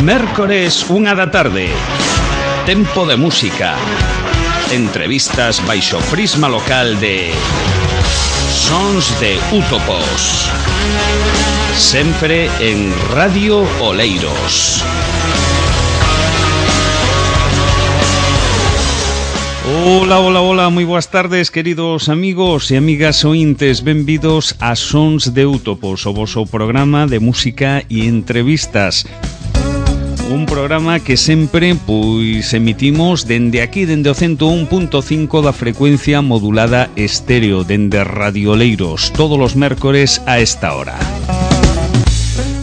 Mércores, 1 da tarde. Tempo de música. Entrevistas baixo prisma local de Sons de Útopos. Sempre en Radio Oleiros. Hola, moi boas tardes, queridos amigos e amigas ointes. Benvidos a Sons de Útopos, o voso programa de música e entrevistas. Un programa que sempre emitimos dende aquí, dende o 101.5 da frecuencia modulada estéreo, dende Radio Oleiros, todos os mércores a esta hora.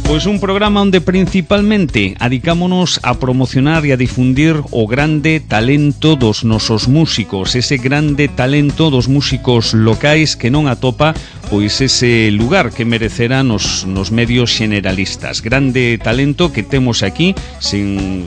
Pois un programa onde principalmente adicámonos a promocionar e a difundir o grande talento dos nosos músicos, ese grande talento dos músicos locais que non atopa pois ese lugar que merecerá nos medios generalistas. Grande talento que temos aquí sin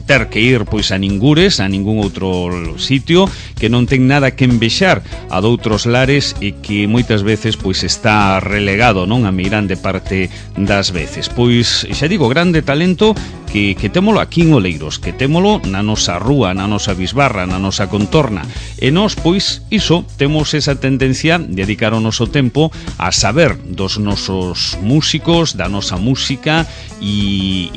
ter que ir pois a ningures, a ningún outro sitio, que non ten nada que envexar a doutros lares e que moitas veces pois está relegado, non, a meirande parte das veces. Pois xa digo, grande talento que témolo aquí en Oleiros, que témolo na nosa rúa, na nosa bisbarra, na nosa contorna. E nós, pois, iso, temos esa tendencia de dedicar o noso tempo a saber dos nosos músicos, da nosa música e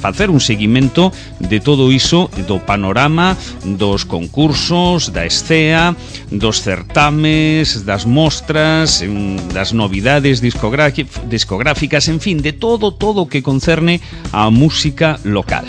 facer un seguimento de todo iso, do panorama, dos concursos, da escea, dos certames, das mostras, das novidades discográficas, en fin, de todo o que concerne a música local.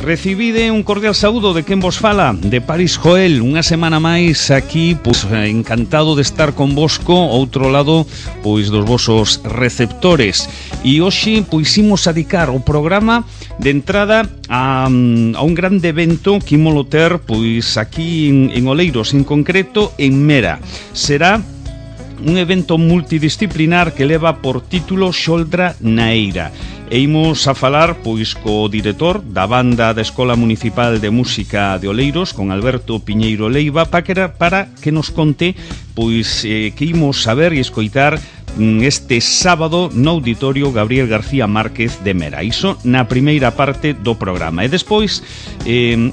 Recibide un cordial saúdo de quen vos fala, de Paris Joel, unha semana máis aquí, pois encantado de estar convosco, outro lado, pois dos vosos receptores. E hoxe, pois imos dedicar o programa de entrada a un grande evento que imolo ter, pois aquí en Oleiros, en concreto en Mera. Será un evento multidisciplinar que leva por título Xoldra na Eira. E imos a falar pois co director da banda da Escola Municipal de Música de Oleiros, con Alberto Piñeiro Leiva, para que nos conte pois que imos saber e escoitar este sábado no Auditorio Gabriel García Márquez de Mera. Iso na primeira parte do programa. E despois,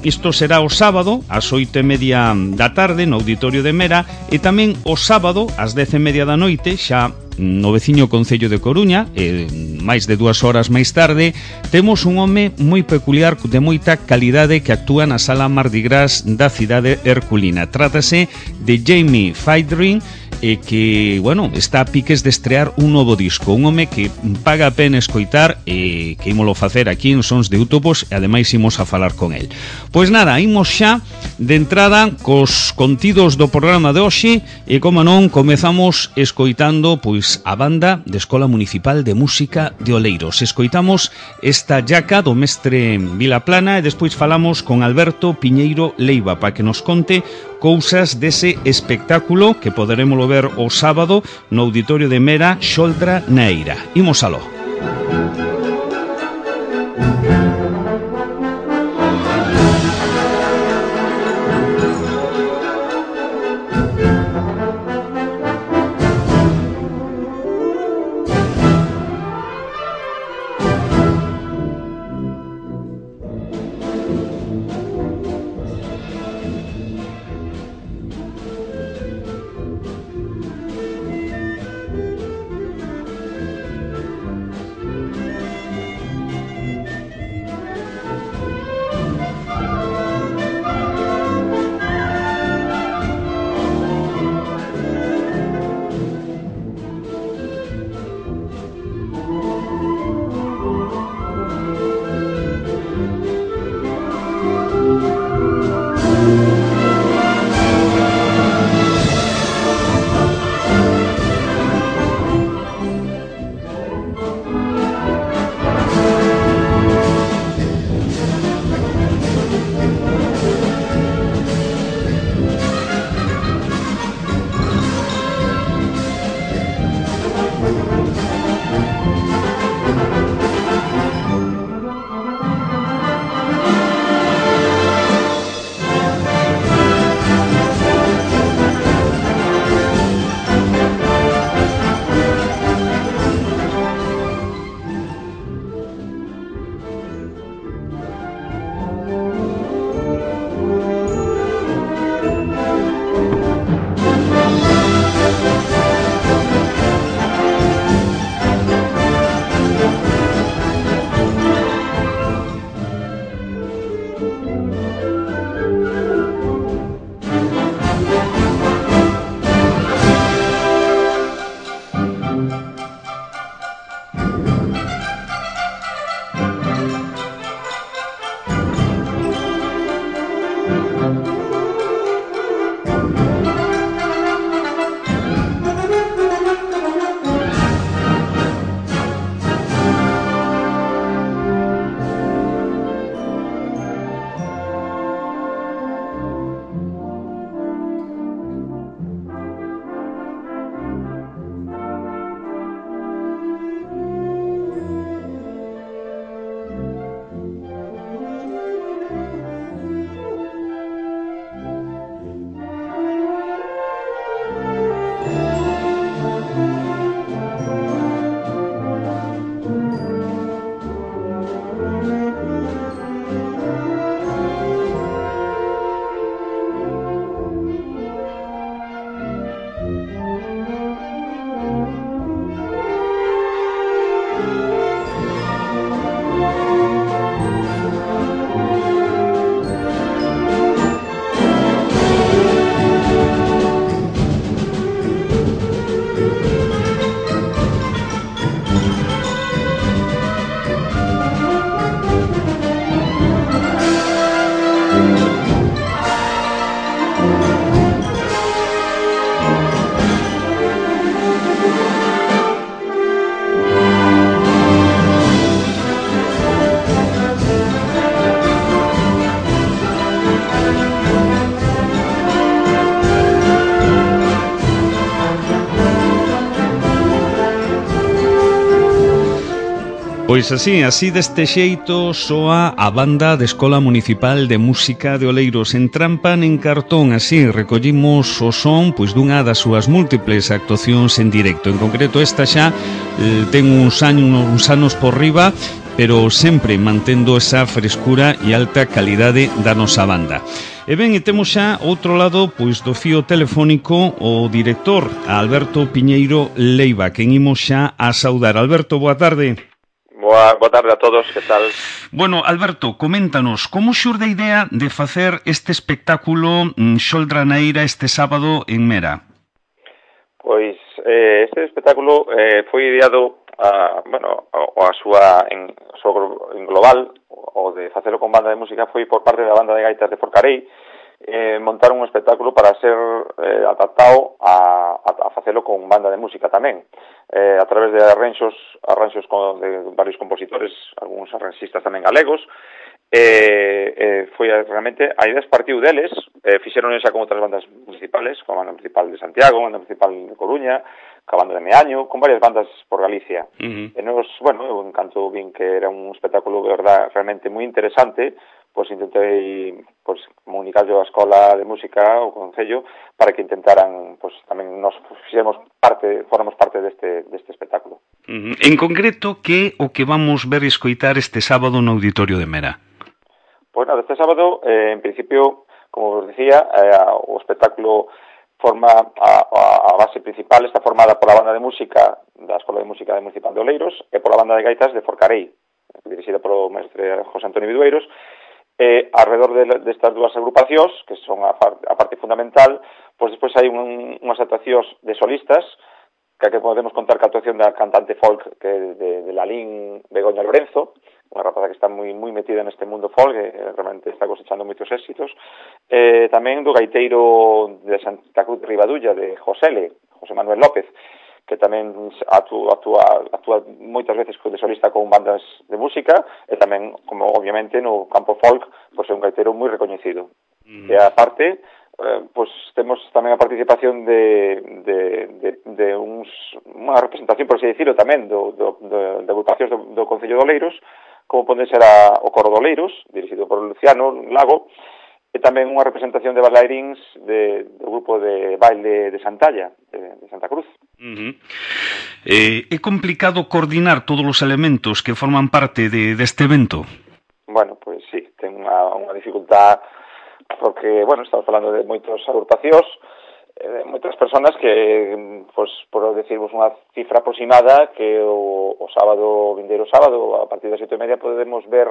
isto será o sábado ás 8:30 da tarde no Auditorio de Mera, e tamén o sábado ás 10:30 da noite, xa no veciño concello de Coruña, máis de 2 horas máis tarde, temos un home moi peculiar, de moita calidade, que actúa na Sala Mardi Gras da cidade herculina. Trátase de Jamie Faidrin, que, bueno, está a piques de estrear un novo disco. Un home que paga a pena escoitar e que ímolo facer aquí en Sons de Útopos, e ademais imos a falar con el. Pois nada, imos xa de entrada cos contidos do programa de hoxe e, como non, comezamos escoitando pois a banda de Escola Municipal de Música de Oleiros. Escoitamos esta llaca do mestre Vilaplana e despois falamos con Alberto Piñeiro Leiva para que nos conte cousas dese espectáculo que poderemoslo ver o sábado no Auditorio de Mera, Xoldra na Eira. Imos aló. Pois así deste xeito soa a banda de Escola Municipal de Música de Oleiros. En Trampan en Cartón, así recollimos o son pois dunha das súas múltiples actuacións en directo. En concreto esta xa ten uns anos por riba, pero sempre mantendo esa frescura e alta calidade da nosa banda. E ben, e temos xa outro lado pois do fío telefónico o director, Alberto Piñeiro Leiva, quen imos xa a saudar. Alberto, boa tarde. Boa tarde a todos, que tal? Bueno, Alberto, coméntanos, como xurde a idea de facer este espectáculo Xoldra na Eira este sábado en Mera? Pois este espectáculo foi ideado en global, o de facelo con banda de música, foi por parte da banda de gaitas de Forcarei, montar un espectáculo para ser adaptado a facelo con banda de música tamén, a través de arranxos de varios compositores, algúns arranxistas tamén galegos. Foi realmente, a idea partiu deles, fixeron xa con outras bandas municipales, con a banda municipal de Santiago, a banda municipal de Coruña, ca banda de Meaño, con varias bandas por Galicia. E nos, eu encanto vin que era un espectáculo de verdad realmente moi interesante, pois intentei comunicarlo á Escola de Música, o Concello, para que intentaran, tamén nos formamos parte deste espectáculo. En concreto, que o que vamos ver e escoitar este sábado no Auditorio de Mera? Pois nada, este sábado, en principio, como vos decía, o espectáculo forma a base principal, está formada pola banda de música da Escola de Música Municipal de Oleiros e pola banda de gaitas de Forcarei, dirixida polo mestre José Antonio Vidueiros. Alrededor destas dúas agrupacións, que son a parte fundamental, pois despois hai unhas actuacións de solistas, que podemos contar que a actuación da cantante folk de Lalín Begoña Lorenzo, unha rapaza que está moi metida neste mundo folk, e realmente está cosechando moitos éxitos. Tamén do gaiteiro de Santa Cruz de Ribadulla, de José Manuel López, que tamén actúa moitas veces de solista con bandas de música, e tamén, como obviamente no campo folk, pois é un gaiteiro moi recoñecido. E aparte, temos tamén a participación de unha representación, por así decirlo, tamén de agrupacións do Concello de Oleiros, como pode ser o Coro de Oleiros, dirixido por Luciano Lago, e tamén unha representación de bailarins do grupo de baile de Santalla, de Santa Cruz. É complicado coordinar todos os elementos que forman parte deste evento? Bueno, pois sí, ten unha dificultad, porque, estamos falando de moitas agrupacións, moitas persoas que, por decirvos unha cifra aproximada, que o vindeiro sábado, a partir das 7:30, podemos ver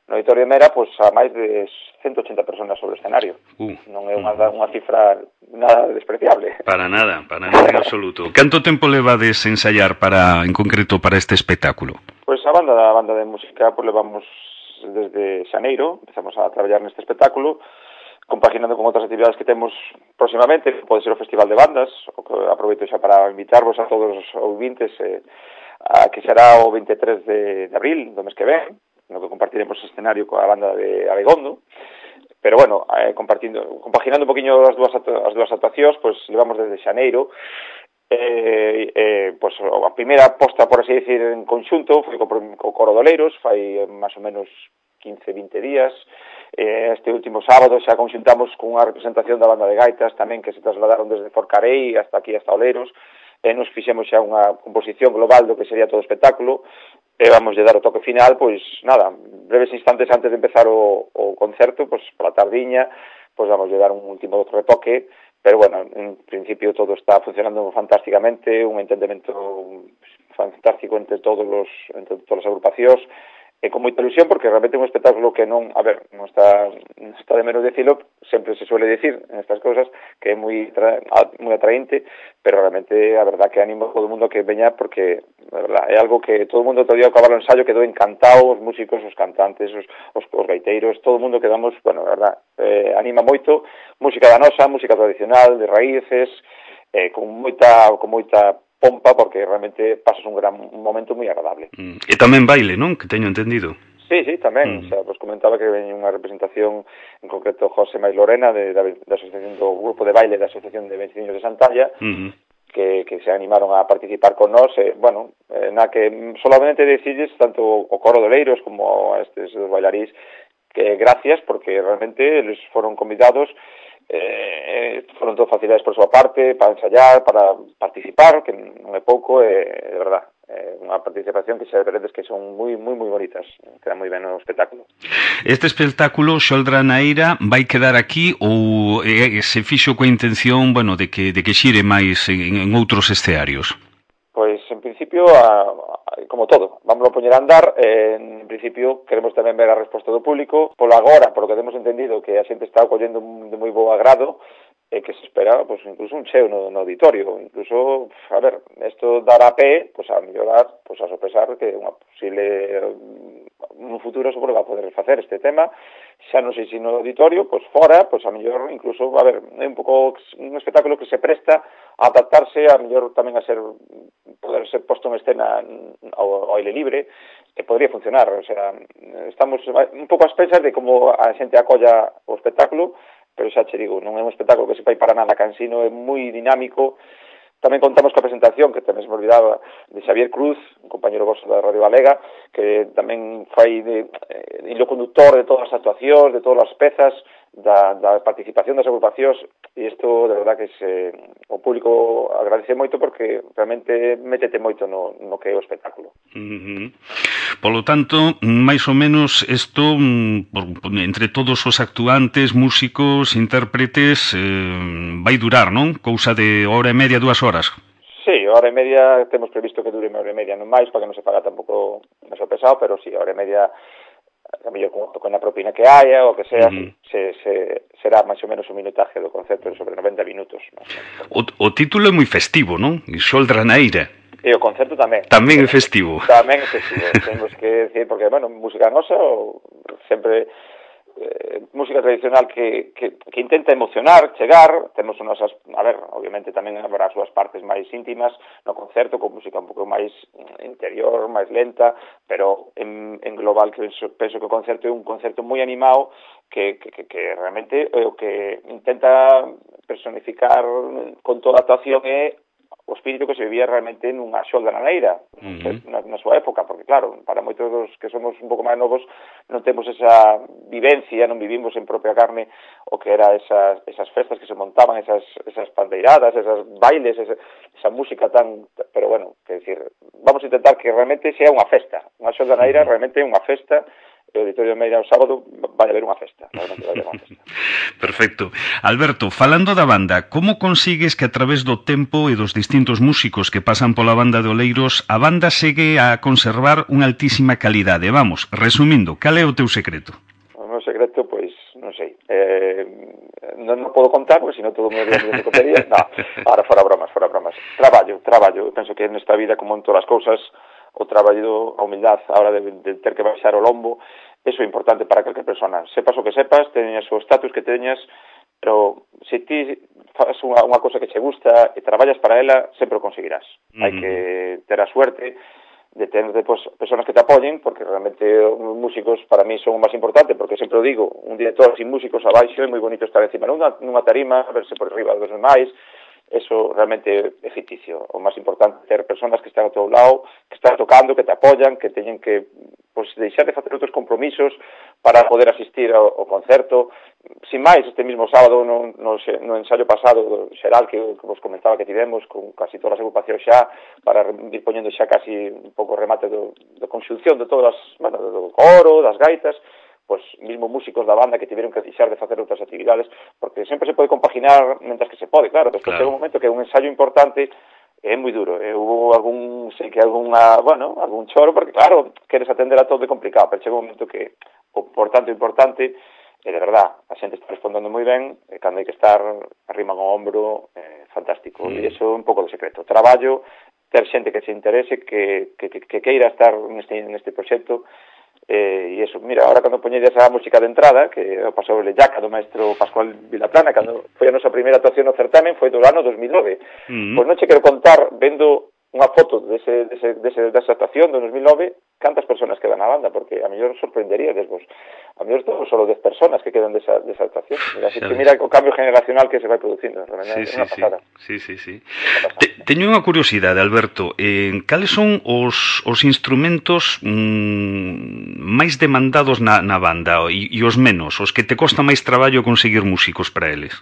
no Auditorio de Mera, a máis de 180 personas sobre o escenario. Non é unha cifra nada despreciable. Para nada en absoluto. Canto tempo levades ensaiar en concreto para este espectáculo? Pois a banda de música levamos desde xaneiro, empezamos a traballar neste espectáculo, compaginando con outras actividades que temos próximamente, pode ser o Festival de Bandas, o que aproveito xa para invitarvos a todos os ouvintes, a que será o 23 de abril, do mes que ven, no que compartiremos escenario coa banda de Abegondo. Pero compaginando un poquinho as dúas actuacións, levamos desde xaneiro. A primeira posta, por así decir, en conxunto foi co Coro de Oleiros, fai máis ou menos 15-20 días. Este último sábado xa conxuntamos cunha representación da banda de gaitas tamén, que se trasladaron desde Forcarei hasta Oleiros, e nos fixemos xa unha composición global do que sería todo o espectáculo, e vamos a dar o toque final, breves instantes antes de empezar o concerto, pola tardiña, vamos a dar un último retoque, pero en principio todo está funcionando fantásticamente, un entendemento fantástico entre todas as agrupacións, e con moita ilusión, porque realmente é un espectáculo que non está de menos decirlo, sempre se suele decir en estas cousas, que é moi atraente, pero realmente a verdad que animo a todo o mundo que veña, porque a verdad, é algo que todo o mundo todavía ao acabar o ensayo quedou encantado, os músicos, os cantantes, os gaiteiros, todo o mundo quedamos, a verdad, anima moito, música da nosa, música tradicional, de raíces, con moita pompa, porque realmente pasas un momento moi agradable. E tamén baile, non? Que teño entendido. Sí, tamén. Vos comentaba que veñe unha representación, en concreto José Maís Lorena, da asociación do grupo de baile da Asociación de Veciños de Santalla, que se animaron a participar con nós, bueno, na que solamente decirles tanto o coro de Oleiros como a estes dos bailarís que gracias, porque realmente eles foron convidados, foron todas facilidades por súa parte para ensayar, para participar, que non é pouco, de verdad, unha participación que xa veredes que son moi bonitas, queda moi ben o espectáculo. Este espectáculo, Xoldra na Eira, vai quedar aquí ou se fixo coa intención, bueno, de que xire máis en outros escenarios? Pois, en principio, como todo, vamos a poñer a andar. En principio, queremos tamén ver a resposta do público. Polo agora, polo que temos entendido, que a xente está collendo de moi bo agrado, que se espera, pues, incluso un cheo no auditorio. Incluso, a ver, isto dará pé, pues, a mellorar, pues, a sopesar que unha posible, un futuro sobre va a poder facer este tema. Xa non sei se no auditorio, pues, fora, pues, a mellor, incluso, a ver, é un pouco un espectáculo que se presta a adaptarse, a mellor tamén a poder ser posto en escena ao aire libre, que podría funcionar. O sea, estamos un pouco ás pensas de como a xente acolla o espectáculo, pero xa che digo, non é un espectáculo que se fai para nada cansino, é moi dinámico. Tamén contamos coa presentación, que tamén se me olvidaba, de Xavier Cruz, un compañero vosso da Radio Galega, que tamén fai de hilo conductor de todas as actuacións, de todas as pezas, da participación das agrupacións, e isto, de verdad, que o público agradece moito porque realmente métete moito no que é o espectáculo. Polo tanto, máis ou menos, isto, entre todos os actuantes, músicos, intérpretes, vai durar, non? Cousa de hora e media, 2 horas. Sí, hora e media, temos previsto que dure unha hora e media, non máis, para que non se faga tampouco meso pesado, pero sí, hora e media, a mellor con a propina que haya, ou que sea, será máis ou menos o minutaje do concerto sobre 90 minutos. O título é moi festivo, non? Xoldra na Eira. E o concerto tamén. Tamén é festivo. Tamén é festivo. Temos que decir, porque, bueno, música nosa, sempre música tradicional que intenta emocionar, chegar, temos unosas, a ver, obviamente tamén habrá as súas partes máis íntimas no concerto, con música un pouco máis interior, máis lenta, pero en global penso que o concerto é un concerto moi animado que realmente o que intenta personificar con toda a actuación é o espírito que se vivía realmente nunha Xoldra na Eira, na súa época, porque claro, para moitos dos que somos un pouco máis novos non temos esa vivencia, non vivimos en propia carne o que era esas festas que se montaban, esas pandeiradas, esas bailes, esa música tan... Pero bueno, que decir, vamos a intentar que realmente sea unha festa, unha Xoldra na Eira realmente é unha festa. O Auditorio de Meira o sábado vai haber unha festa, realmente vai haber unha festa. Perfecto. Alberto, falando da banda, como consigues que a través do tempo e dos distintos músicos que pasan pola banda de Oleiros, a banda segue a conservar unha altísima calidade? Vamos, resumindo, cal é o teu secreto? O meu secreto, pois, non sei. Non podo contar, porque senón todo me diría de cotería. No, ahora fora bromas. Traballo. Penso que nesta vida, como en todas as cousas, o traballo, a humildade, a hora de ter que baixar o lombo, eso é importante para calquer persona. Sepas o que sepas, teñas o status que teñas, pero se ti faz unha cosa que che gusta e traballas para ela, sempre o conseguirás. Hai que ter a suerte de ter depois personas que te apoyen, porque realmente os músicos para mí son o máis importante, porque sempre o digo, un director sin músicos abaixo é moi bonito estar encima nunha tarima, verse por arriba dos demais. Eso realmente é ficticio. O máis importante é ter personas que están ao teu lado, que están tocando, que te apoyan, que teñen que deixar de facer outros compromisos para poder asistir ao concerto. Sin máis, este mismo sábado no ensaio pasado do xeral que vos comentaba que tivemos con casi todas as agrupacións xa, para ir poñendo xa casi un pouco remate da conxunción de todas, bueno, do coro, das gaitas, pois mismo músicos da banda que tiveron que deixar de facer outras actividades, porque sempre se pode compaginar mentras que se pode, claro, despois chega un momento que é un ensayo importante, é moi duro, hubo algún choro, porque claro, queres atender a todo, é complicado, pero chega un momento que o importante, de verdad, a xente está respondendo moi ben, e cando hai que estar arrima con o ombro, fantástico, e iso é un pouco do secreto, traballo, ter xente que se interese, que queira estar neste proxecto, e iso, mira, ahora cando poñedes a música de entrada, que o pasou o Lellaca do maestro Pascual Vilaplana, cando foi a nosa primeira actuación no certamen, foi do ano 2009. Pois non che quero contar, vendo unha foto desa actuación do 2009, cantas persoas quedan na banda, porque a mellor sorprenderíades vos. A mellor todos solo 10 personas que quedan desa actuación. Mira o cambio generacional que se vai producindo. É unha pasada. Sí. Teño unha curiosidade, Alberto. Cales son os instrumentos máis demandados na banda e os menos, os que te costa máis traballo conseguir músicos para eles?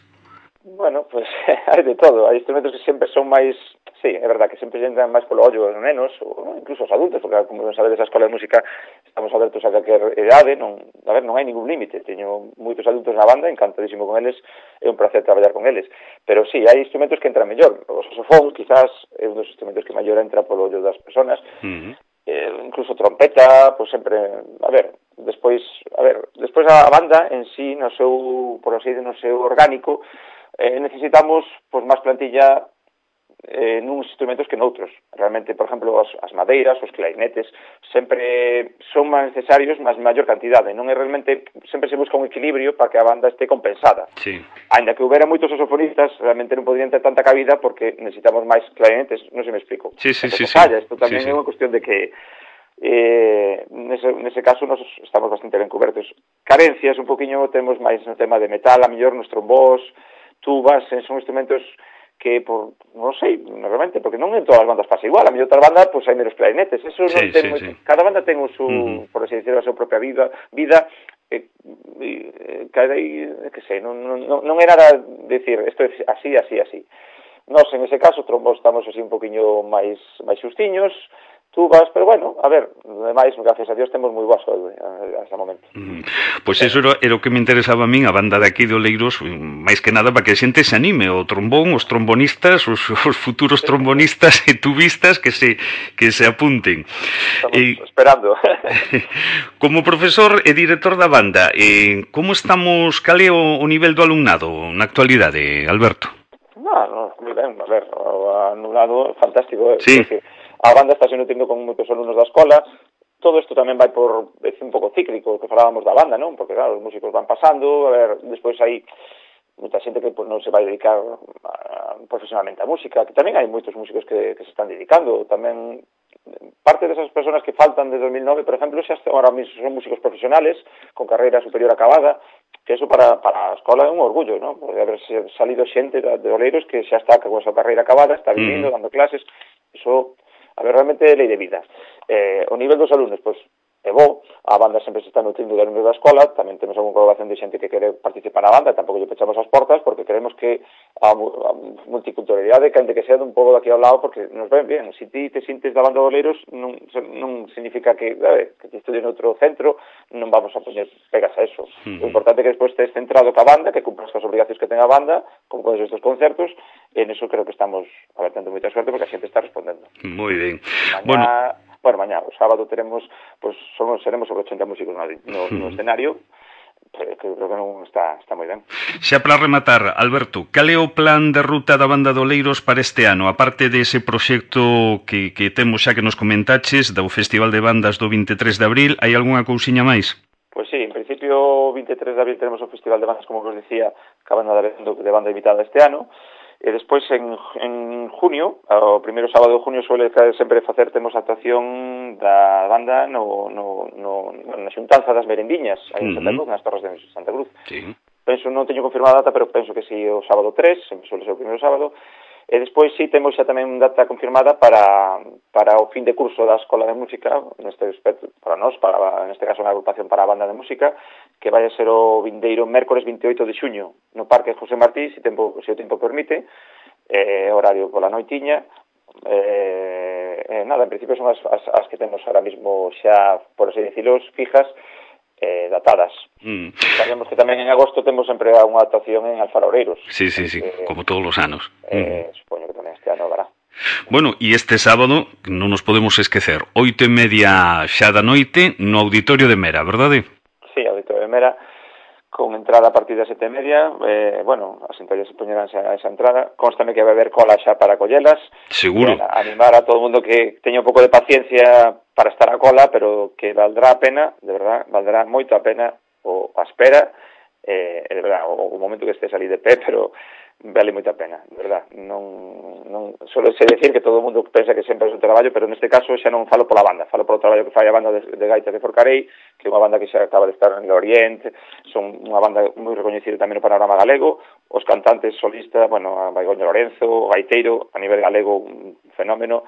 Bueno, pues hai de todo. Hai instrumentos que sempre son máis... Sí, é verdad que sempre entran máis polo ollo os nenos, ou incluso os adultos, porque como sabedes, a escola de música estamos abertos a calquer idade, non hai ningún límite. Teño moitos adultos na banda, encantadísimo con eles, é un placer traballar con eles. Pero sí, hai instrumentos que entran mellor. O saxofón, quizás, é un dos instrumentos que mellor entra polo ollo das personas. Incluso trompeta, pois sempre... Despois a banda en sí, no seu, por así, no seu orgánico, necesitamos pois máis plantilla nuns instrumentos que noutros. Realmente, por exemplo, as madeiras, os clarinetes, sempre son máis necesarios, mas maior cantidade. Non é realmente, sempre se busca un equilibrio para que a banda este compensada. Sí. Ainda que houbera moitos saxofonistas, realmente non poderían ter tanta cabida porque necesitamos máis clarinetes, non se me explico. Sí. Isto tamén é unha cuestión de que nese caso nos estamos bastante ben cobertos. Carencias un poquinho temos máis no tema de metal, a mellor nos trombós, tubas, son instrumentos que, non sei, realmente, porque non en todas as bandas pasa igual, a mellor outra banda, pois hai menos clarinetes, eso non ten cada banda ten o seu, por así decirlo, a súa propia vida, cada que sei, non é nada decir, isto é así. Nós, en ese caso, trombos estamos así un poquinho máis xustiños, tubas, pero bueno, a ver, ademais, gracias a Dios, temos moi boa saúde hasta o momento. Pois eso era o que me interesaba a min, a banda de aquí de Oleiros, máis que nada para que a xente se anime, o trombón, os trombonistas, os futuros trombonistas e tubistas que se apunten. Estamos esperando. Como profesor e director da banda, como estamos, cal é o nivel do alumnado na actualidade, Alberto? No, moi ben, a ver, o alumnado fantástico, sí. A banda está se nutrindo con moitos alumnos da escola. Todo isto tamén vai por, é un pouco cíclico, que falábamos da banda, non? Porque, claro, os músicos van pasando, a ver, despois hai moita xente que non se vai dedicar profesionalmente á música, que tamén hai moitos músicos que se están dedicando, tamén parte desas persoas que faltan desde 2009, por exemplo, xa ahora mismo son músicos profesionales, con carreira superior acabada, que eso para a escola é un orgullo, non? Porque haber salido xente de Oleiros que xa está con a súa carreira acabada, está vivindo, dando clases, eso... A ver, realmente é lei de vida. O nivel dos alumnos, pois, é bo, a banda sempre se está nutrindo de alumnos da escola, tamén temos algunha colaboración de xente que quere participar na banda, tampouco lle pechamos as portas, porque queremos que a multiculturalidade, que sea dun pouco daqui ao lado, porque nos ven bien. Se ti te sintes da banda de Oleiros, non significa que te estudien outro centro, non vamos a poñer pegas a eso. O importante é que despois estés centrado ca banda, que cumpras as obrigacións que ten a banda, como con estes concertos, e en eso creo que estamos tendo moita suerte porque a xente está respondendo. Moi ben. Mañá, o sábado teremos, seremos sobre 80 músicos no escenario, que creo que non está moi ben. Xa para rematar, Alberto, cal é o plan de ruta da banda de Oleiros para este ano? Aparte dese proxecto que temos xa que nos comentaches, do Festival de Bandas do 23 de abril, hai algunha cousiña máis? Pois sí, en principio, o 23 de abril tenemos o Festival de Bandas, como vos decía, que a banda de banda invitada este ano. E despois en junio, o primeiro sábado de junio suele sempre temos a actuación da banda na xuntanza das merendiñas aí en Santa Cruz, nas Torres de Santa Cruz. Sí. Penso, non teño confirmada a data, pero penso que si o sábado 3, sempre suele ser o primeiro sábado. E despois sí temos xa tamén data confirmada para o fin de curso da Escola de Música, neste aspecto, para nós, neste caso unha agrupación para a banda de música, que vai a ser o vindeiro mércores 28 de xuño no Parque José Martí, se o tempo permite, horario pola noitiña. Nada, en principio son as que temos ahora mismo xa, por así decirlo, fijas, datadas. Sabemos que tamén en agosto temos sempre unha actuación en Alfaroreiros. Sí, como todos os anos. Supoño que tamén este ano habrá. Bueno, e este sábado non nos podemos esquecer, 8:30 xa da noite no Auditorio de Mera, verdade? Sí, Auditorio de Mera, con entrada a partir das 7:30, as entradas se poñerán a esa entrada, constame que vai haber cola xa para collelas. Seguro. Animar a todo o mundo que teña un pouco de paciencia para estar a cola, pero que valdrá a pena, de verdad, valdrá moito a pena a espera, de verdad, o momento que estés ali de pé, pero vale moita pena, de verdad. Non solo sei decir que todo o mundo pensa que sempre é un traballo, pero neste caso xa non falo pola banda, falo polo traballo que fai a banda de gaitas de Forcarei, que é unha banda que xa acaba de estar en el Oriente, son unha banda moi recoñecida tamén no panorama galego, os cantantes solistas, bueno, a Baigoño Lorenzo, o gaiteiro, a nivel galego un fenómeno,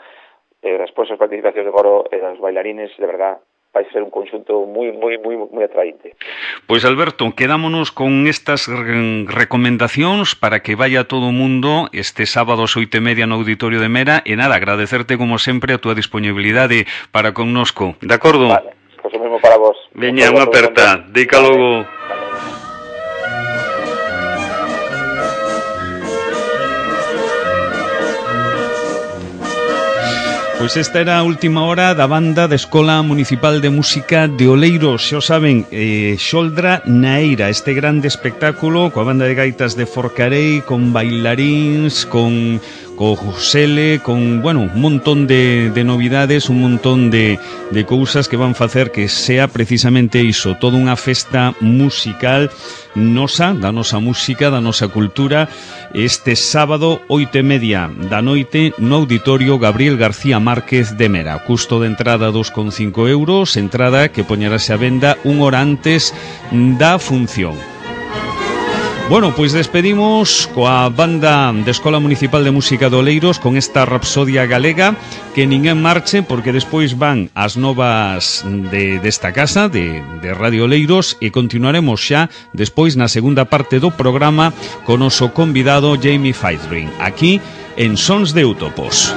despois as participacións de coro e os bailarines, de verdad, vai ser un conxunto moi atraente. Pois Alberto, quedámonos con estas recomendacións para que vaya todo o mundo este sábado ás 8:30 no Auditorio de Mera e nada, agradecerte como sempre a túa disponibilidade para connosco, de acordo? Vale, pois o mesmo para vos. Veña, unha aperta, dica logo. Pois esta era a última hora da banda da Escola Municipal de Música de Oleiros. Xa o saben, Xoldra na Eira, este grande espectáculo coa banda de gaitas de Forcarei, con bailaríns, con Josele, con, bueno, un montón de novidades, un montón de cousas que van facer que sea precisamente iso, toda unha festa musical nosa, da nosa música, da nosa cultura, este sábado 8:30 da noite no Auditorio Gabriel García Márquez de Mera. Custo de entrada 2,5 euros, entrada que poñerase a venda unha hora antes da función. Bueno, pois despedimos coa banda da Escola Municipal de Música de Oleiros con esta rapsodia galega, que ninguén marche porque despois van as novas desta casa de Radio Oleiros e continuaremos xa despois na segunda parte do programa con o noso convidado Jamie Feithrin, aquí en Sons de Utopos.